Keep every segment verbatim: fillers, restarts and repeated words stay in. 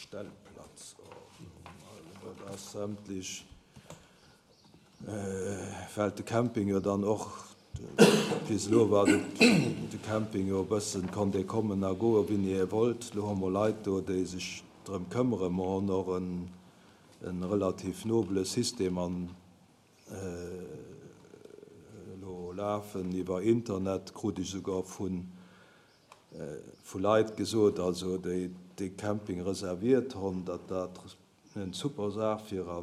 Stellplatzordnung. Also dat ass sämtlech, well de Camping jo dann och, bis elo war de Camping jo e bëssen, konnt ee kommen a goen, wéini ee wollt. Elo hu mer Leit do, déi sech drëm këmmeren. Mer hunn och e relativ nobele System an elo lafen iwwer Internet, krut ech esouguer vu Leit gesot, also déi dee Camping reserviert hunn, datt dat en super Saach wier a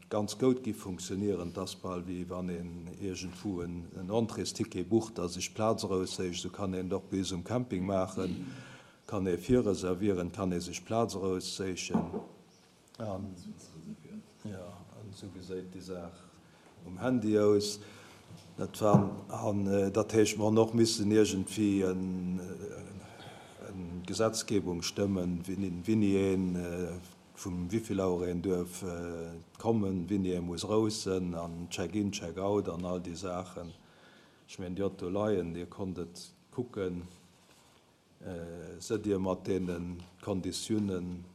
ganz goud gi funktionieren. Et ass bal wéi wann een iergendwou en Entréesticket bucht a sech Plaz erausséicht. Esou kann een et och bei eis um Camping maachen, kann ee virreservieren, kann ee sech Plaz erausséichen. An jo, an esou geséit déi Saach um Handy aus. Dat war, an dat heescht, mer hunn och missen iergendwéi eng Gesetzgebung stëmmen, wéini een, vum wéivill Auer een duerf kommen, wéini ee muss roussen an Check-in, Check-out an all déi Saachen. Ech mengen, Dir hutt do leien, Dir konnt et kucken. Sëtt Dir mat deene Konditiounen,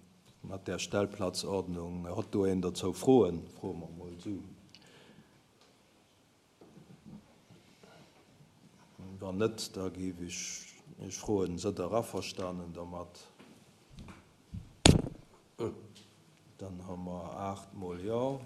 mat där Stellplatzordnung, hott do een dozou Froen? Froe mer emol esou. Wann net, da géif ech Iech froen, Sëtt Der averstanen domat? Dann hu mer aacht mol Jo.